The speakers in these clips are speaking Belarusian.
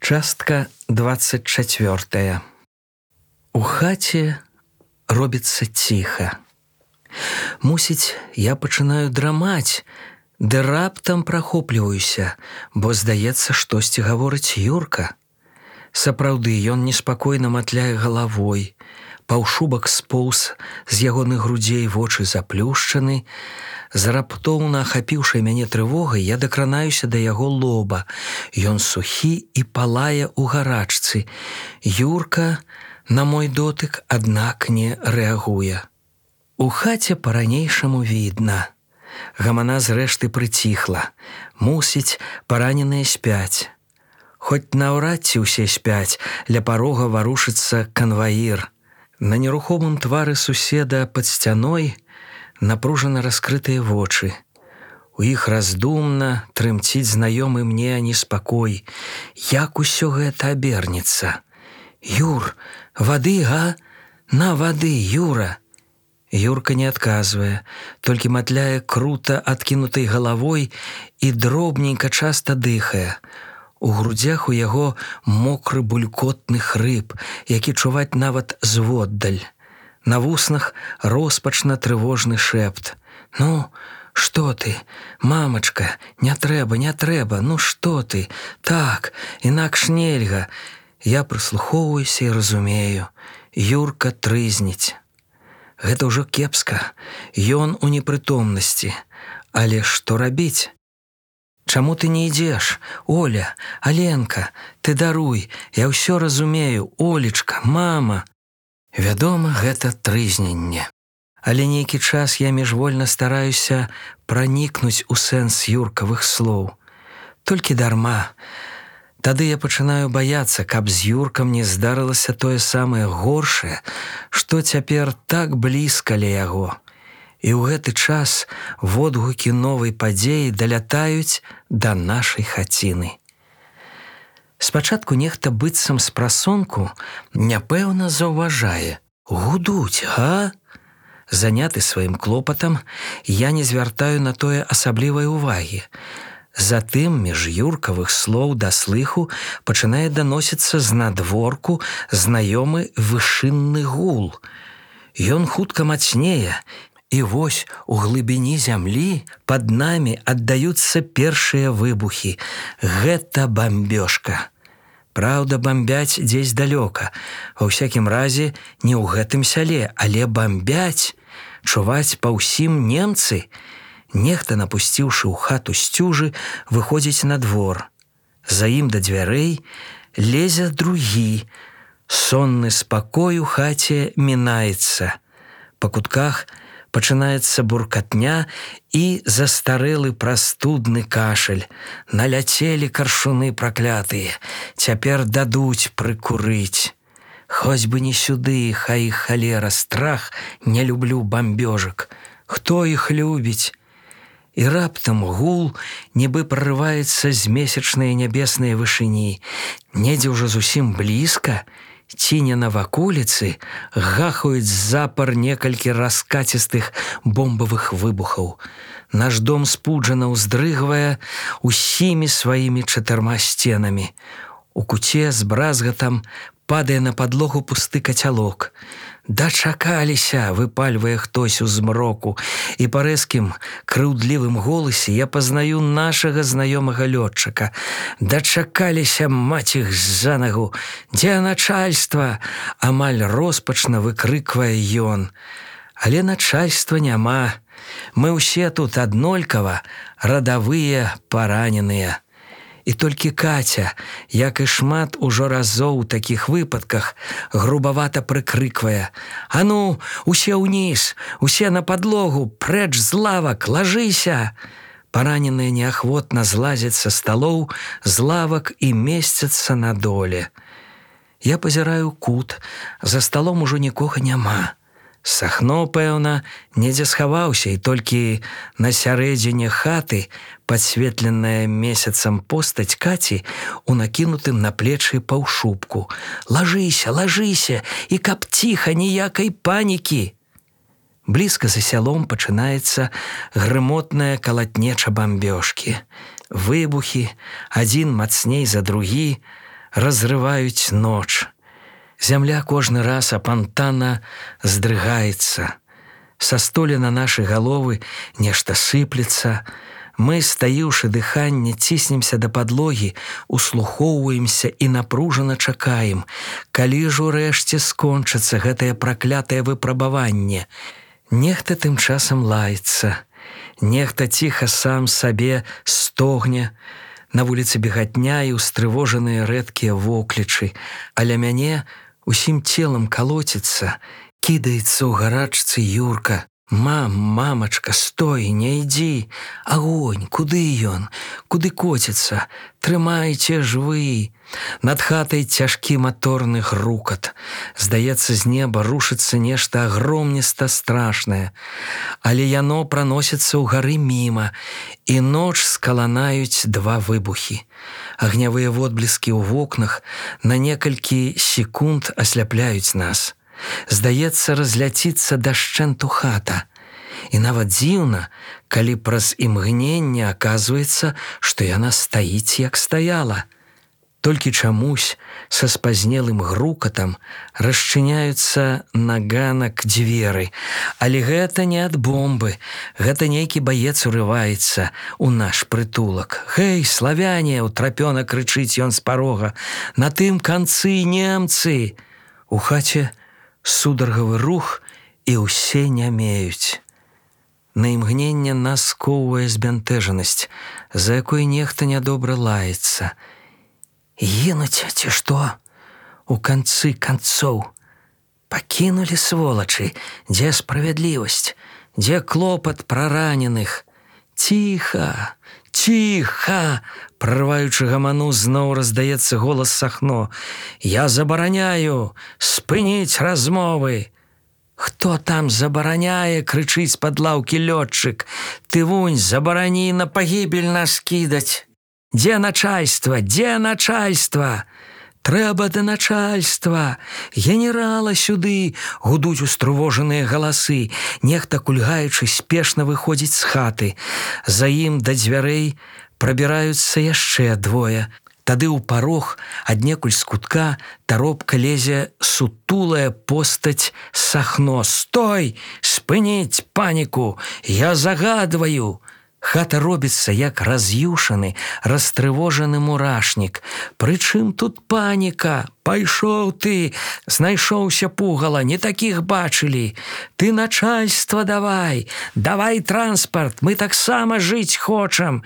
Частка 24. У хаце робіцца ціха. Мусіць, я пачынаю драмаць, ды раптам прахопліваюся, бо здаецца, штосьці гаворыць Юрка. Сапраўды, ён неспакойна матляе галавой, паўшубак споўз з ягоных грудзей, вочы заплюшчаны. З раптоўна ахапіўшай мяне трывогай я дакранаюся да яго лоба. Ён сухі і палае ў гарачцы. Юрка на мой дотык, аднак, не рэагуе. У хаце па-ранейшаму відна. Гамана зрэшты прыціхла. Мусіць, параненыя спяць. Хоць наўрад ці ўсе спяць, ля парога варушыцца канваір. На нерухомым твары суседа пад сцяной напружана раскрытыя вочы. У іх раздумна трымціць знаёмы мне неспакой. Як усё гэта абернецца? «Юр, вады, га? На вады, Юра!» Юрка не адказвае, толькі матляе крута адкінутай галавой і дробненька часта дыхае. У грудзях у яго мокры булькотны хрып, які чуваць нават зводдаль. На вуснах роспачна трывожны шэпт. «Ну, што ты, мамачка, не трэба, ну што ты? Так, інакш нельга». Я прыслухоўваюся і разумею. Юрка трызніць. Гэта ўжо кепска. Ён у непрытомнасці. Але што рабіць? «Чаму ты не ідзеш? Оля, Аленка, ты даруй, я ўсё разумею, Олечка, мама». Вядома, гэта трызненне. Але нейкі час я міжвольна стараюся пранікнуць у сэнс Юркавых слоў. Толькі дарма. Тады я пачынаю баяцца, каб з Юркам не здарылася тое самае горшае, што цяпер так блізка ля яго. І ў гэты час водгукі новай падзеі далятаюць да нашай хаціны. Спачатку нехта быццам з прасонку няпэўна заўважае: «Гудуць, га?» Заняты сваім клопатам, я не звяртаю на тое асаблівай увагі. Затым між Юркавых слоў да слыху пачынае даносіцца знадворку знаёмы вышынны гул. Ён хутка мацнее, і вось у глыбіні зямлі пад намі аддаюцца першыя выбухі. Гэта бамбёжка. Праўда, бамбяць дзесь далёка. Ва ўсякім разе, не ў гэтым сяле, але бамбяць. Чуваць па ўсім немцы. Нехта, напусціўшы ў хату сцюжы, выходзіць на двор. За ім да дзвярэй лезе другі. Сонны спакой у хаце мінаецца. Па кутках пачынаецца буркатня і застарэлы прастудны кашаль. Наляцелі каршуны праклятыя. Цяпер дадуць прыкурыць. Хоць бы не сюды, хай іх халера, страх, не люблю бамбёжак. Хто іх любіць? І раптам гул нібы прарываецца з месячнай нябеснай вышыні. Недзе ўжо зусім блізка, ці не на ваколіцы, гахаюць запар некалькі раскацістых бомбавых выбухаў. Наш дом спуджана ўздрыгвае усімі сваімі 4 сценамі. У куце з бразгатам падае на падлогу пусты кацялок. «Дачакаліся!» – выпальвае хтось у змроку, і па рэзкім, крыўдлівым голасе я пазнаю нашага знаёмага лётчыка. «Дачакаліся, маць іх за нагу! Дзе начальства?» – амаль роспачна выкрыквае ён. Але начальства няма. Мы ўсе тут аднолькава радавыя параненыя. І толькі Каця, як і шмат ужо разоў у такіх выпадках, грубавата прыкрыквае: «А ну, усе ўніз, усе на падлогу, прэч з лавак, лажыся!» Параненыя неахвотна злазяць са сталоў, з лавак і месцяцца на доле. Я пазіраю кут, за сталом ужо нікога няма. Сахно, пэўна, недзе схаваўся, і толькі на сярэдзіне хаты падсветленая месяцам постаць Каці у накінутым на плечы паўшубку. «Лажыся, лажыся, і каб ціха, ніякай панікі!» Блізка за сялом пачынаецца грымотная калатнеча бамбёжкі. Выбухі, адзін мацней за другі, разрываюць ноч. Зямля кожны раз апантана здрыгаецца. Са столі на нашы галовы нешта сыплецца. Мы, стаіўшы дыханне, ціснемся да падлогі, услухоўваемся і напружана чакаем, калі ж урэшце скончыцца гэтае праклятае выпрабаванне. Нехта тым часам лаецца, нехта ціха сам сабе стогне. На вуліцы бегатня і устрывожаныя рэдкія воклічы, аля мяне усім целам калоціцца, кідаецца ў гарачцы Юрка. Мамачка, стой, не ідзі! Агонь, куды ён? Куды коціцца? Трымайце ж вы! Над хатай цяжкі маторны грукат. Здаецца, з неба рушыцца нешта агромніста страшнае. Але яно праносіцца ўгары міма, і ноч скаланаюць два выбухі. Агнявыя водбліскі ў вокнах на некалькі секунд асляпляюць нас. Здаецца, разляціцца дашчэнту хата. І нават дзіўна, калі праз імгненне аказваецца, што яна стаіць, як стаяла. Толькі чамусь са спазнелым грукатам расчыняюцца на ганак дзверы. Але гэта не ад бомбы, гэта нейкі баец урываецца ў наш прытулак. «Гэй, славяне!» — утрапёна крычыць ён з парога. «На тым канцы немцы!» У хаце сударгавы рух, і ўсе нямеюць. На імгненне нас скоўвае збянтэжанасць, за якой нехта нядобра лаецца. Гінуць, ці што? У канцы канцоў. Пакінулі сволачы, дзе справядлівасць, дзе клопат пра раненых. Ціха, ціха! Прарваючы гаману, зноў раздаецца голас Сахно. «Я забараняю! Спыніць размовы!» «Хто там забараняе?» — крычыць з-пад лаўкі лётчык. «Ты вунь, забарані на пагібель нас кідаць! Дзе начальства? Дзе начальства?» «Трэба да начальства! Генерала сюды!» — гудуць устрывожаныя галасы. Нехта, кульгаючы, спешна выходзіць з хаты. За ім да дзвярэй прабіраюцца яшчэ двое. Тады ў парог, аднекуль з кутка, таропка лезе сутулая постаць Сахно. «Стой! Спыніць паніку! Я загадваю!» Хата робіцца, як раз'юшаны, растрывожаны мурашнік. «Прычым тут паніка? Пайшоў ты! Знайшоўся пугала, не такіх бачылі! Ты начальства давай! Давай транспарт! Мы таксама жыць хочам!»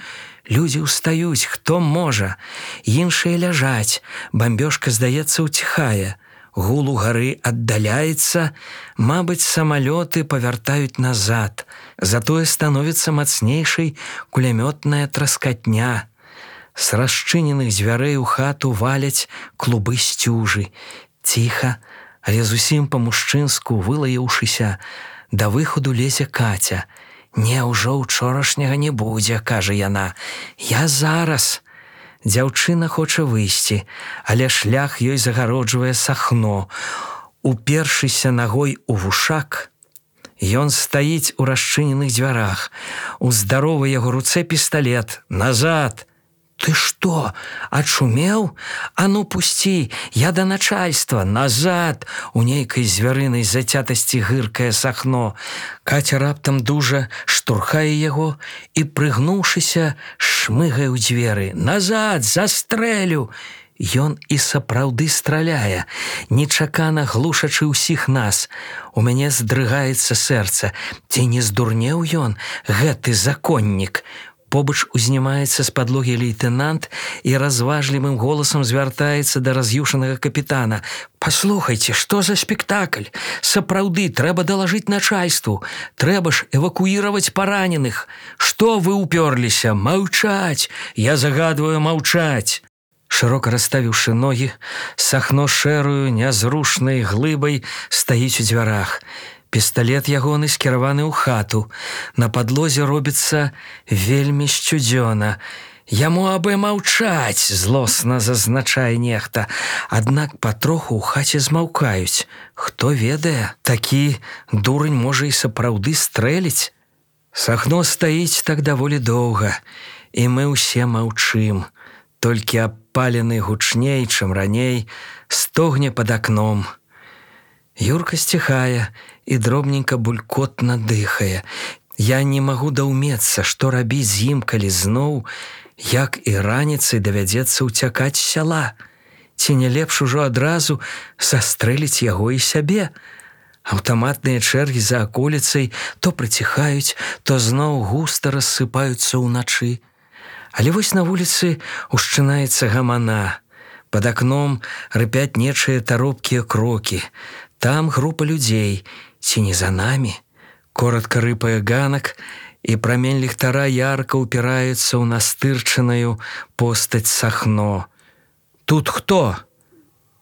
Людзі ўстаюць, хто можа. Іншыя ляжаць. Бамбёжка, здаецца, уціхае. Гул угары аддаляецца. Мабыць, самалёты павяртаюць назад. Затое становіцца мацнейшай кулямётная траскатня. З расчыненых дзвярэй у хату валяць клубы сцюжы. Ціха, але зусім па-мужчынску вылаяўшыся, да выходу лезе Каця. «Не, ўжо ўчорашняга не будзе», — кажа яна. «Я зараз». Дзяўчына хоча выйсці, але шлях ёй загароджвае Сахно. Упершыся нагой у вушак, ён стаіць у расчыненых дзвярах. У здаровай яго руцэ пісталет. «Назад!» «Ты што, ачумеў? А ну пусці, я да начальства! Назад!» У нейкай звярынай зацятасці гыркае Сахно. Каця раптам дужа штурхае яго і, прыгнуўшыся, шмыгае ў дзверы. «Назад! Застрэлю!» Ён і сапраўды страляе, нечакана глушачы ўсіх нас. У мяне здрыгаецца сэрца. Ці не здурнеў ён, гэты законнік? Побач узнімаецца з падлогі лейтэнант і разважлівым голасам звяртаецца да раз'юшанага капітана. «Паслухайце, што за спектакль? Сапраўды, трэба далажыць начальству. Трэба ж эвакуіраваць параненых. Што вы ўпёрліся? Маўчаць! Я загадваю маўчаць!» Шырока расставіўшы ногі, Сахно шэрую, нязрушнай глыбай стаіць у дзвярах. Пісталет ягоны скіраваны ў хату. На падлозе робіцца вельмі сцюдзёна. «Яму абы маўчаць!» — злосна зазначае нехта. Аднак патроху ў хаце змаўкаюць. Хто ведае, такі дурань можа і сапраўды стрэліць. Сахно стаіць так даволі доўга, і мы ўсе маўчым. Толькі аб адпалены гучней, чым раней, стогне пад акном. Юрка сціхае і дробненька булькотна дыхае. Я не магу даўмецца, што рабіць з ім, калі зноў, як і раніцай, давядзецца ўцякаць з сяла. Ці не лепш ужо адразу застрэліць яго і сябе? Аўтаматныя чэргі за аколіцай то прыціхаюць, то зноў густа рассыпаюцца ўначы. Але вось на вуліцы ушчынаецца гамана. Пад акном рыпяць нечыя таропкія крокі. Там група людзей, ці не за намі. Коротка рыпае ганак, і прамень ліхтара ярка ўпіраецца ў настырчаную постаць Сахно. «Тут хто?»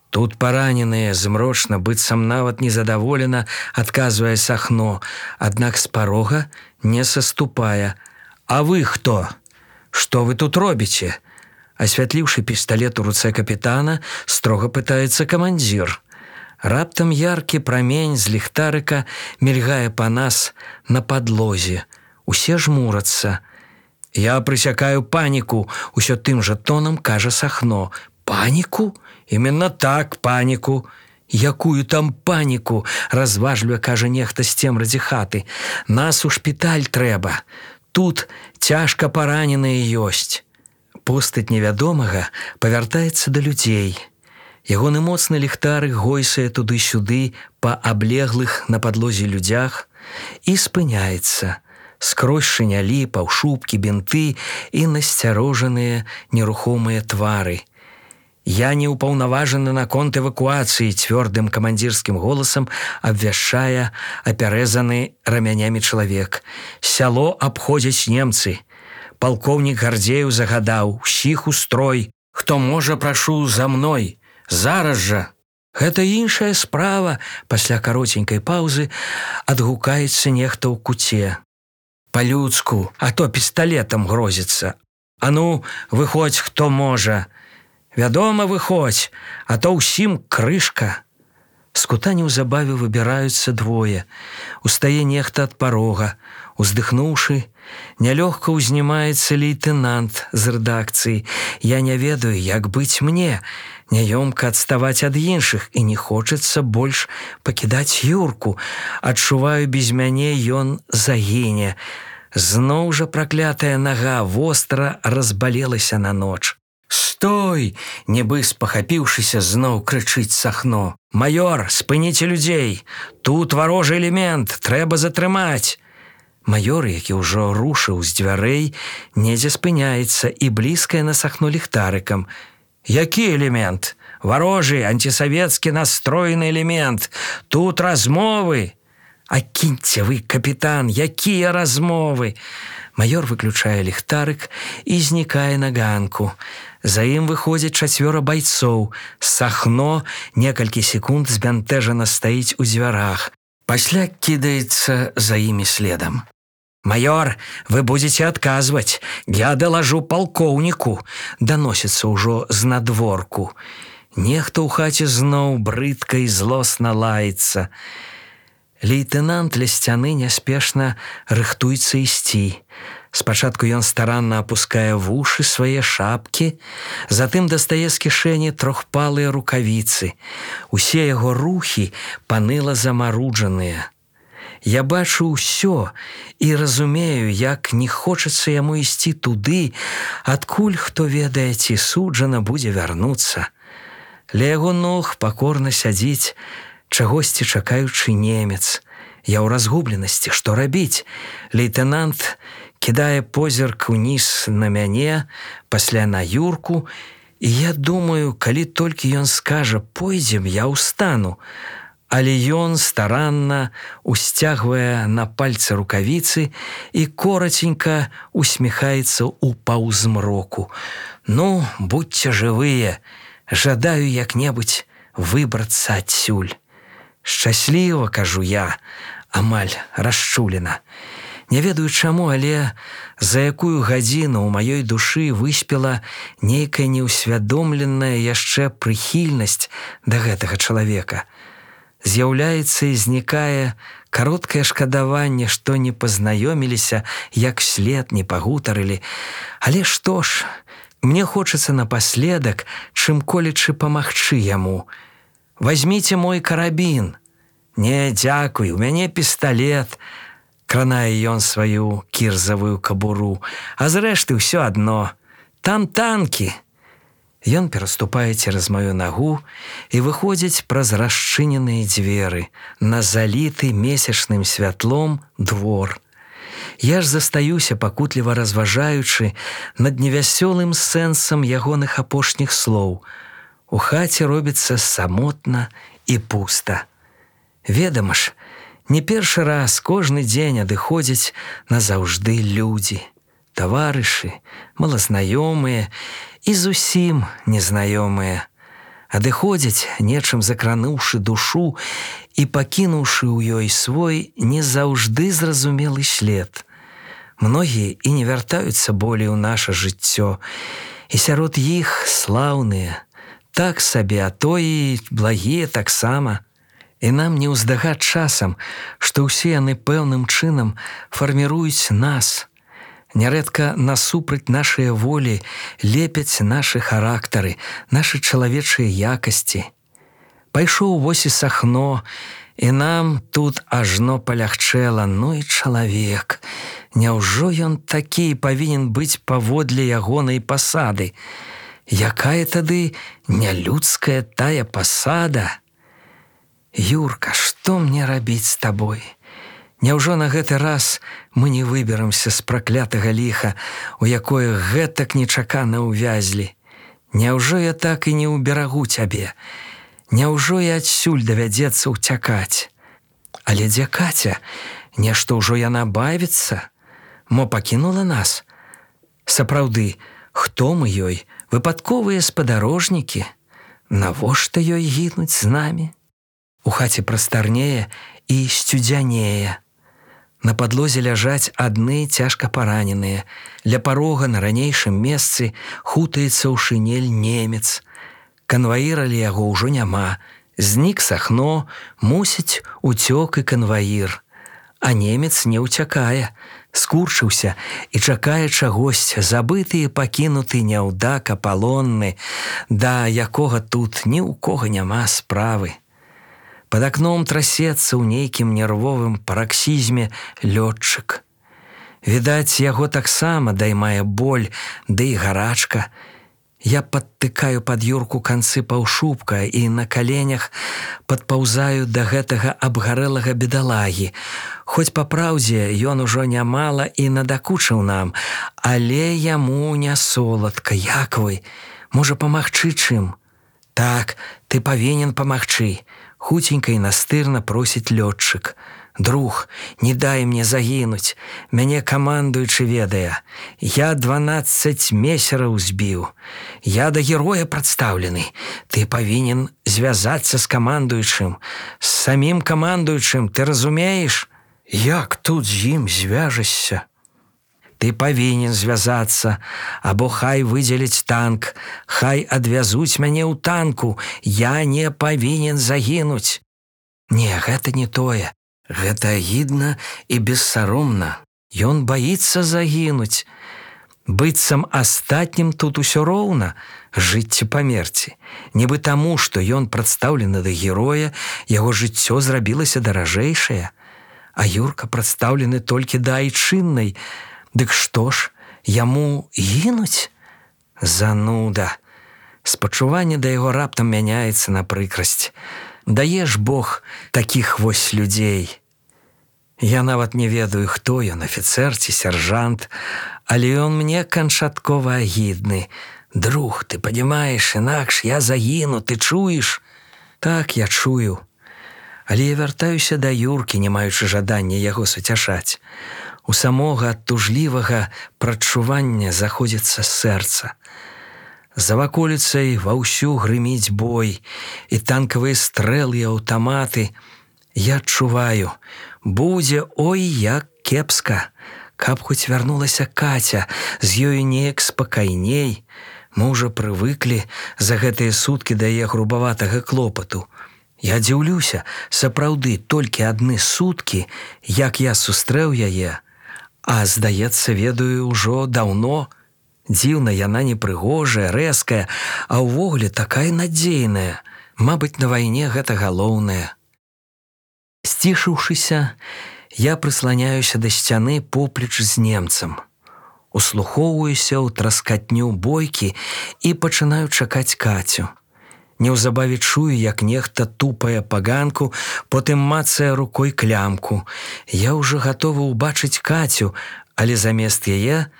«Тут параненыя», змрочна, быццам нават незадаволена, адказвае Сахно, аднак з парога не саступае. «А вы хто? Што вы тут робіце?» Асвятліўшы пісталет у руцэ капітана, строга пытаецца камандзір. Раптам яркі прамень з ліхтарыка мільгае па нас на падлозе. Усе жмурацца. «Я прысякаю паніку», усё тым жа тонам кажа Сахно. «Паніку? Именно так, паніку». «Якую там паніку?» разважліве кажа нехта з цемрадзі хаты. «Нас у шпіталь трэба. Тут цяжка параненыя ёсць». Постаць невядомага павяртаецца да людзей. Ягоны моцны ліхтарык гойсае туды-сюды па аблеглых на падлозе людзях і спыняецца. Скрозь шынялі, паўшубкі, бінты і насцярожаныя нерухомыя твары. «Я не ўпаўнаважаны наконт эвакуацыі», цвёрдым камандзірскім голасам абвяшчае апярэзаны рамянямі чалавек. «Сяло абходзяць немцы. Палкоўнік Гардзеев загадаў: усіх у строй. Хто можа, прашу за мной. Зараз жа!» «Гэта іншая справа», пасля кароценькай паўзы адгукаецца нехта ў куце. «Па-людску, а то пісталетам грозіцца. А ну, выходзь, хто можа. Вядома, выходзь, а то ўсім крышка». З кута неўзабаве выбіраюцца двое. Устае нехта ад парога. Уздыхнуўшы, нялёгка ўзнімаецца лейтэнант з рэдакцыі. Я не ведаю, як быць мне. Няёмка адставаць ад іншых, і не хочацца больш пакідаць Юрку. Адчуваю, без мяне ён загіне. Зноў жа праклятая нага востра разбалелася на ноч. «Стой!» – нібы спахапіўшыся, зноў крычыць Сахно. «Маёр, спыніце людзей! Тут варожы элемент, трэба затрымаць!» Маёр, які ўжо рушыў з дзвярэй, недзе спыняецца і блізкае на Сахно ліхтарыкам. «Які элемент? Варожы, антисавецкі настроены элемент! Тут размовы!» «А кіньце вы, капітан, якія размовы!» Маёр выключае ліхтарык і знікае на ганку. За ім выходзяць 4 байцоў. Сахно некалькі секунд збянтэжана стаіць у дзвярах. Пасля кідаецца за імі следам. «Маёр, вы будзеце адказваць. Я далажу палкоўніку», даносіцца ўжо з надворку. Нехта ў хаце зноў брыдка і злосна лаецца. Лейтэнант ля сцяны няспешна рыхтуецца ісці. Спачатку ён старанна апускае вушы свае шапкі, затым дастае з кішэні трохпалыя рукавіцы. Усе яго рухі паныла замаруджаныя. Я бачу ўсё і разумею, як не хочацца яму ісці туды, адкуль, хто ведае, ці суджана будзе вярнуцца. Ля яго ног пакорна сядзіць чагосьці чакаючы немец. Я ў разгубленасці, што рабіць? Лейтэнант кідае позірк уніз на мяне, пасля на Юрку, і я думаю, калі толькі ён скажа «пойдзем», я ўстану. Але ён старанна усцягвае на пальцы рукавіцы і кораценька усміхаецца ў паўзмроку. «Ну, будьце жывыя, жадаю як-небудзь выбрацца адсюль». «Шчасліва», кажу я, амаль расчулена. Не ведаю чаму, але за якую гадзіну ў маёй душы выспела нейкая неўсвядомленая яшчэ прыхільнасць да гэтага чалавека. З'яўляецца і знікае кароткае шкадаванне, што не пазнаёміліся, як след не пагутарылі. Але што ж, Мне хочацца напаследак, чым-колечы памагчы яму. Возьмите мой карабін. Не, дзякуй, у мяне пісталет. Кранае ён сваю кірзавую кабуру. А зрэшты ўсё адно. Там танкі. Ён пераступае цераз маю нагу і выходзіць праз расчыненыя дзверы на заліты месячным святлом двор. Я ж застаюся, пакутліва разважаючы над невясёлым сэнсам ягоных апошніх слоў. У хаце робіцца самотна і пуста. Ведама ж, не першы раз кожны дзень адыходзяць назаўжды людзі, таварышы, малазнаёмыя і зусім незнаёмыя. Адыходзяць, нечым закрануўшы душу і пакінуўшы ў ёй свой не заўжды зразумелы след. Многія і не вяртаюцца болей у наша жыццё, і сярод іх слаўныя, так сабе, а то і благія таксама. І нам не ўздагад часам, што ўсе яны пэўным чынам фарміруюць нас. Нярэдка насупраць нашыя волі лепяць нашы характары, нашы чалавечыя якасці. Пайшоў вось і Сахно, і нам тут ажно палягчэла, ну і чалавек. Няўжо ён такі павінен быць паводле ягонай пасады? Якая тады нялюдская тая пасада? Юрка, што мне рабіць з табой? Няўжо на гэты раз мы не выберамся з праклятага ліха, у якое гэтак нечакана ўвязлі? Няўжо я так і не ўберагу цябе? Няўжо і адсюль давядзецца ўцякаць? Але дзе Каця? Нешта ўжо яна бавіцца? Мо пакінула нас? Сапраўды, хто мы ёй? Выпадковыя спадарожнікі? Навошта ёй гінуць з намі? У хаце прастарнее і сцюдзянее. На падлозе ляжаць адны цяжка параненыя. Ля парога на ранейшым месцы хутаецца ў шынель немец. Канваіра ля яго ўжо няма. Знік Сахно, мусіць, уцёк і канваір. А немец не ўцякае, скурчыўся і чакае чагось, забыты і пакінуты няўдак апалонны, да якога тут ні ў кога няма справы. Пад акном трасецца ў нейкім нервовым параксізме лётчык. Відаць, яго таксама даймае боль, ды і гарачка. Я падтыкаю пад Юрку канцы паўшубка і на каленях падпаўзаю да гэтага абгарэлага бедалагі. Хоць па праўдзе ён ужо нямала і надакучыў нам, але яму не соладка. Як вы? Можа, памагчы чым? Так, ты павінен памагчы. Хуценька і настырна просіць лётчык. Друг, не дай мне загінуць. Мяне камандуючы ведае. Я 12 месераў збіў. Я да героя прадстаўлены. Ты павінен звязацца з камандуючым. З самім камандуючым, ты разумееш? Як тут з ім звяжешся? Ты павінен звязацца, або хай выдзеляць танк, хай адвязуць мяне ў танку, я не павінен загінуць. Не, гэта не тое, гэта агідна і бессаромна. Ён баіцца загінуць. Быццам астатнім тут усё роўна, жыць ці памерці. Нібы таму, што ён прадстаўлены да героя, яго жыццё зрабілася даражэйшае, а Юрка прадстаўлены толькі да айчыннай. Дык што ж, яму гінуць? Зануда. Спачуванне да яго раптам мяняецца на прыкрасць. Дае ж Бог такіх вось людзей. Я нават не ведаю, хто ён, афіцэр ці сяржант, але ён мне канчаткова агідны. Друг, ты падзімаеш, інакш я загіну, ты чуеш? Так, я чую. Але я вяртаюся да Юркі, не маючы жадання яго суцяшаць. У самога тужлівага прадчування заходзіцца сэрца. За ваколіцай ваўсю грыміць бой, і танкавыя стрэлы і аўтаматы. Я адчуваю, будзе ой як кепска. Каб хоць вярнулася Каця, з ёю неяк спакайней. Мы ўжо прывыклі за гэтыя суткі да яе грубаватага клопату. Я дзіўлюся, сапраўды, толькі адны суткі, як я сустрэў яе, а, здаецца, ведаю ўжо даўно. Дзіўна, яна непрыгожая, рэзкая, а ўвогуле такая надзейная. Мабыць, на вайне гэта галоўнае. Сцішыўшыся, я прысланяюся да сцяны поплеч з немцам. Услухоўваюся ў траскатню бойкі і пачынаю чакаць Кацю. Неўзабаве чую, як нехта тупае па ганку, потым мацае рукой клямку. Я ўжо гатовы ўбачыць Кацю, але замест яе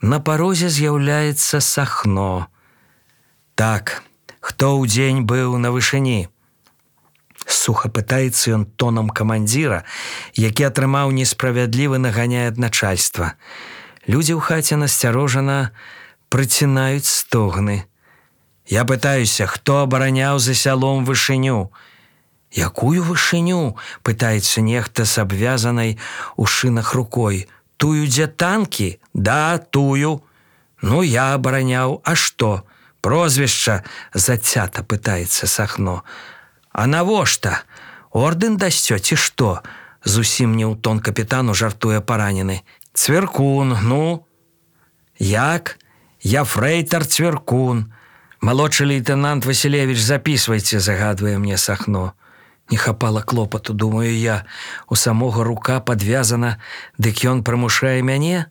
на парозе з'яўляецца Сахно. «Так, хто ўдзень быў на вышыні?» Суха пытаецца ён тонам камандзіра, які атрымаў несправядлівы наганяй ад начальства. Людзі ў хаце насцярожана прыцінаюць стогны. «Я пытаюся, хто абараняў за сялом вышыню?» «Якую вышыню?» – пытаецца нехта з абвязанай у шынах рукой. «Тую, дзе танкі?» «Да, тую». «Ну, я абараняў. А што? Прозвішча?» – зацята пытаецца Сахно. «А навошта? Ордэн дасцё ці што?» – зусім не ў тон капітану жартуе паранены. «Цвіркун, ну?» «Як? Я фрэйтар Цвіркун. Малодшы лейтенант Васілевіч, запісвайце», – загадвае мне Сахно. Не хапала клопату, думаю я. У самога рука падвязана, дык ён прымушае мяне?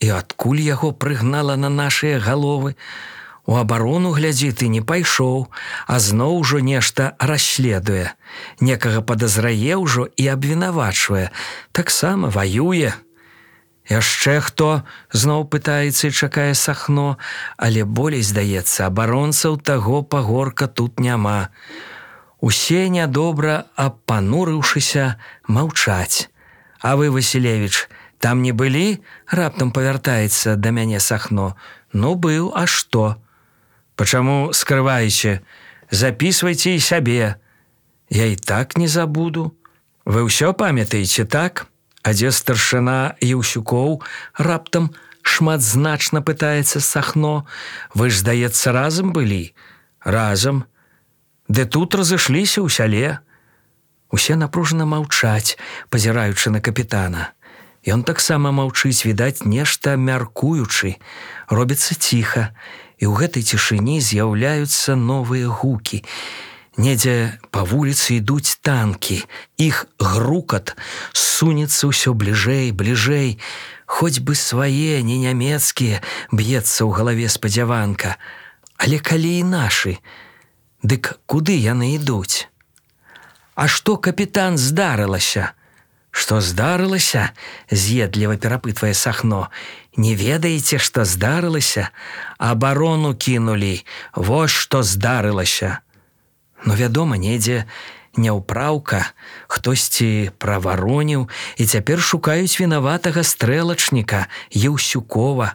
І адкуль яго прыгнала на нашыя галовы? У абарону, глядзі, ты не пайшоў, а зноў ужо нешта расследуе. Некага падазрае ўжо і абвінавачвае. Таксама ваюе. «Яшчэ хто?» – зноў пытаецца і чакае Сахно, але болей, здаецца, абаронцаў таго пагорка тут няма. Усе нядобра, апанурыўшыся, маўчаць. «А вы, Васілевіч, там не былі?» – раптам павяртаецца да мяне Сахно. «Ну, быў, а што?» «Пачаму скрываеце? Запісвайце і сябе». «Я і так не забуду». «Вы ўсё памятаеце, так?» «А дзе старшына Еўсюкоў?» раптам шматзначна пытаецца Сахно. «Вы ж, здаецца, разам былі?» «Разам. Ды тут разышліся ў сяле». Усе напружана маўчаць, пазіраючы на капітана. Ён таксама маўчыць, відаць, нешта мяркуючы. Робіцца ціха, і ў гэтай цішыні з'яўляюцца новыя гукі. Недзе па вуліцы ідуць танкі. Іх грукат сунецца ўсё бліжэй, бліжэй. Хоць бы свае, не нямецкія, б'ецца ў галаве спадзяванка. Але калі і нашы, дык куды яны ідуць? «А што, капітан, здарылася?» «Што здарылася?» – з'едліва перапытвае Сахно. «Не ведаеце, што здарылася? Абарону кінулі. Вось што здарылася». Ну, вядома, недзе няўпраўка, хтосьці правароніў, і цяпер шукаюць вінаватага стрэлачніка Еўсюкова.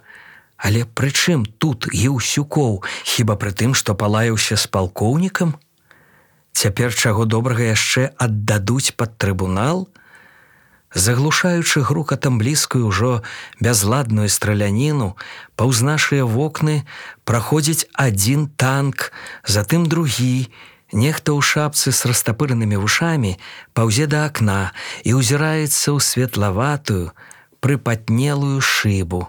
Але пры чым тут Еўсюкоў? Хіба пры тым, што палаяўся з палкоўнікам? Цяпер чаго добрага яшчэ аддадуць пад трыбунал? Заглушаючы грукатам блізкую ўжо бязладную страляніну, паўз нашыя вокны праходзіць адзін танк, затым другі. Нехта ў шапцы з растапыранымі вушамі паўзе да акна і ўзіраецца ў светлаватую, прыпатнелую шыбу.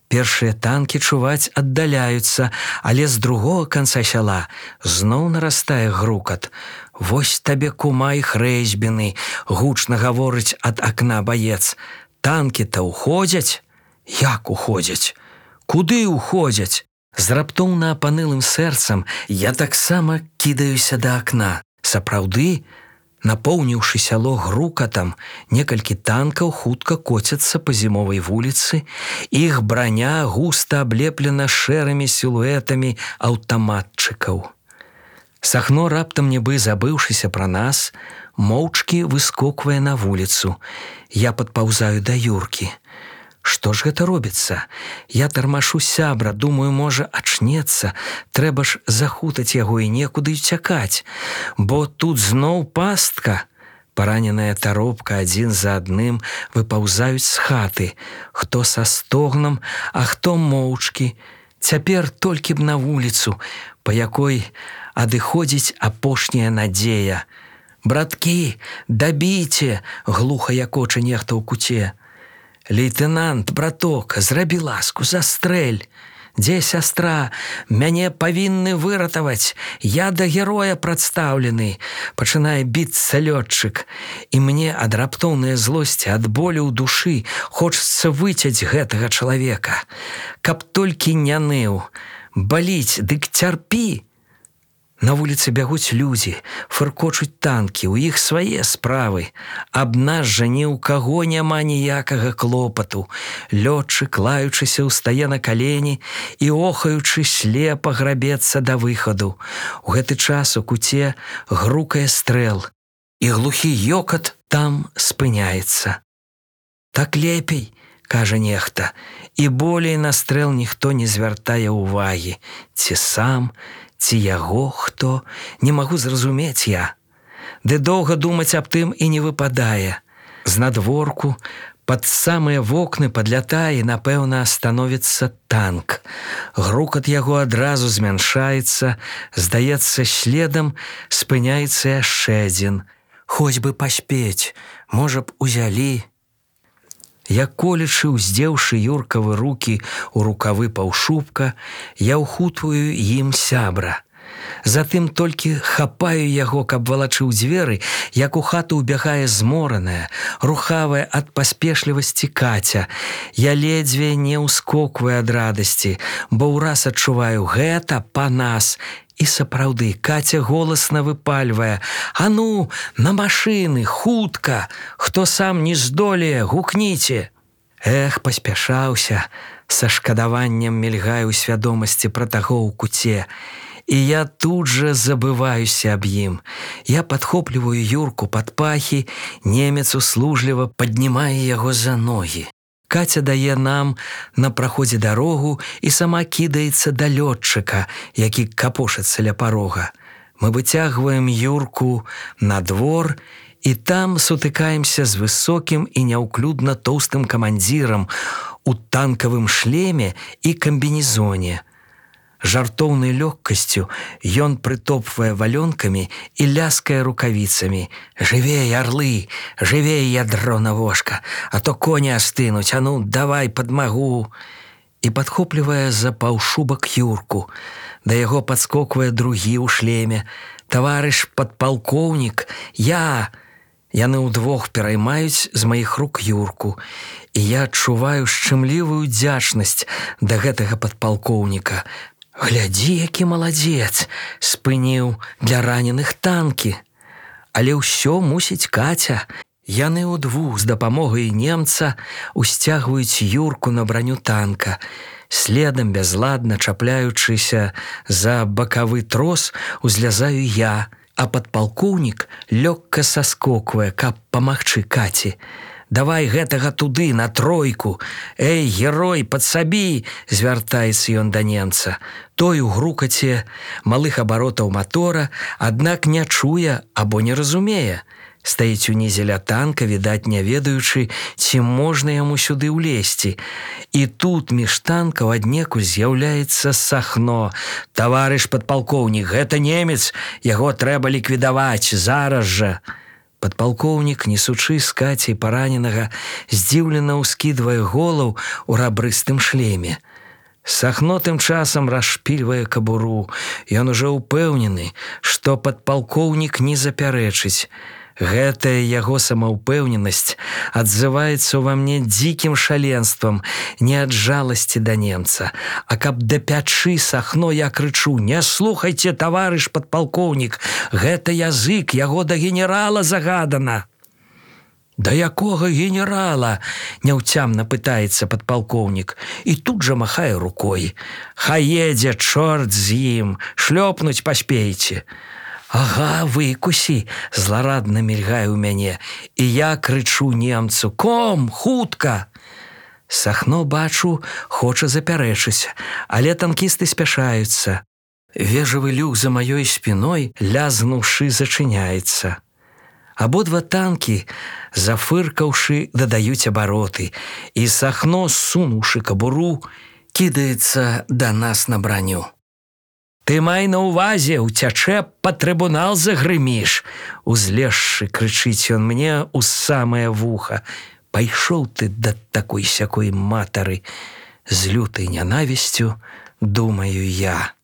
Першыя танкі, чуваць, аддаляюцца, але з другога канца сяла зноў нарастае грукат. «Вось табе, кума, іх рэзьбіны», – гучна гаворыць ад акна баец. «Танкі-то ўходзяць?» «Як уходзяць? Куды ўходзяць?» З раптоўна апанылым сэрцам я таксама кідаюся да акна. Сапраўды, напоўніўшы сяло грукатам, некалькі танкаў хутка коцяцца па зімовай вуліцы. Іх браня густа аблеплена шэрымі сілуэтамі аўтаматчыкаў. Сахно, раптам нібы забыўшыся пра нас, моўчкі выскоквае на вуліцу. Я падпаўзаю да Юркі. Што ж гэта робіцца? Я тармашу сябра, думаю, можа, ачнецца. Трэба ж захутаць яго і некуды ўцякаць. Бо тут зноў пастка. Параненая таропка адзін за адным выпаўзаюць з хаты. Хто са стогнам, а хто моўчкі. Цяпер толькі б на вуліцу, па якой адыходзіць апошняя надзея. «Браткі, дабіце!» – глуха якоча нехта ў куце. «Лейтенант, браток, зрабі ласку, застрэль!» Дзе сястра? Мяне павінны выратаваць. Я да героя прадстаўлены. Пачынае біцца лётчык. І мне ад раптоўнай злосці, ад болю ў душы хочацца выцяць гэтага чалавека. Каб толькі не ныў. Баліць, дык цярпі. На вуліцы бягуць людзі, фыркочуць танкі, у іх свае справы. Аб нас жа ні ў каго няма ніякага клопату. Лётчык, лаючыся, устае на калені і, охаючы, слепа грабецца да выхаду. У гэты час у куце грукае стрэл, і глухі ёкат там спыняецца. Так лепей, кажа нехта, і болей на стрэл ніхто не звяртае ўвагі. Ці сам, ці яго хто, не магу зразумець я. Ды доўга думаць аб тым і не выпадае. Знадворку пад самыя вокны падлятае, напэўна, становіцца танк. Грукат яго адразу змяншаецца, здаецца, следам спыняецца яшчэ адзін. Хоць бы паспець, можа б, узялі. Як колечы, уздзеўшы Юркавы рукі ў рукавы паўшубка, я ўхутваю ім сябра. Затым толькі хапаю яго, каб валачыў дзверы, як у хату ўбягае змораная, рухавая ад паспешлівасці Каця. Я ледзьве не ўскокваю ад радасці, бо ўраз адчуваю: гэта па нас. І сапраўды, Каця голасна выпальвае: «А ну, на машыны, хутка! Хто сам не здолее, гукніце!» Эх, паспяшаўся, са шкадаваннем мільгае ў свядомасці пра таго ў куце. І я тут жа забываюся аб ім. Я падхопліваю Юрку пад пахі, немец услужліва паднімае яго за ногі. Каця дае нам на праходзе дарогу і сама кідаецца да лётчыка, які капошыцца ля парога. Мы выцягваем Юрку на двор і там сутыкаемся з высокім і няўклюдна тоўстым камандзірам у танкавым шлеме і камбінезоне. Жартоўнай лёгкасцю ён прытопвае валёнкамі і ляскае рукавіцамі: «Жывей, арлы, жывей, ядро на вошка, а то коні астынуць, а ну, давай падмагу!» І падхоплівае за паўшубак Юрку. Да яго падскоквае другі ў шлеме: «Таварыш падпалкоўнік, я!» Яны ўдвох пераймаюць з маіх рук Юрку, і я адчуваю шчымлівую удзячнасць да гэтага падпалкоўніка. Глядзі, які маладзец, спыніў для раненых танкі. Але ўсё мусіць Каця. Яны ўдвух з дапамогай немца усцягваюць Юрку на браню танка. Следам, бязладна чапляючыся за бакавы трос, узлязаю я, а падпалкоўнік лёгка саскоквае, каб памагчы Каці. «Давай гэтага туды, на тройку! Эй, герой, падсабі!» – звяртаецца ён да немца. Той у грукаце малых абаротаў матора, аднак не чуе або не разумее. Стаіць унізе ля танка, відаць, не ведаючы, ці можна яму сюды ўлезці. І тут між танкаў аднекуль з'яўляецца Сахно. «Таварыш падпалкоўнік, гэта немец, яго трэба ліквідаваць, зараз жа!» Падпалкоўнік, несучы з Кацей параненага, здзіўлена ўскідвае голаў у рабрыстым шлеме. Сахно тым часам расшпільвае кабуру. Ён ужо ўпэўнены, што падпалкоўнік не запярэчыць. Гэтая яго самаўпэўненасць адзываецца ўва мне дзікім шаленствам, не ад жаласці да немца. А каб да пячы Сахно, я крычу: «Не слухайце, таварыш падпалкоўнік, гэта язык, яго да генерала загадана!» «Да якога генерала?» – няўцямна пытаецца падпалкоўнік і тут жа махае рукой. «Хай едзе, чорт з ім, шлёпнуць паспейце!» «Ага, выкусі!» – зларадна мільгае ў мяне, і я крычу немцу: «Ком, хутка!» Сахно, бачу, хоча запярэчыць, але танкісты спяшаюцца. Вежавы люк за маёй спіной, лязнуўшы, зачыняецца. Абодва танкі, зафыркаўшы, дадаюць абароты, і Сахно, сунуўшы кабуру, кідаецца да нас на браню. «Ты май на ўвазе, уцячэ, па трыбунал загрыміш!» Узлезшы, крычыць ён мне ў самае вуха. «Пайшоў ты да такой-сякой матары!» З лютай нянавісцю думаю я.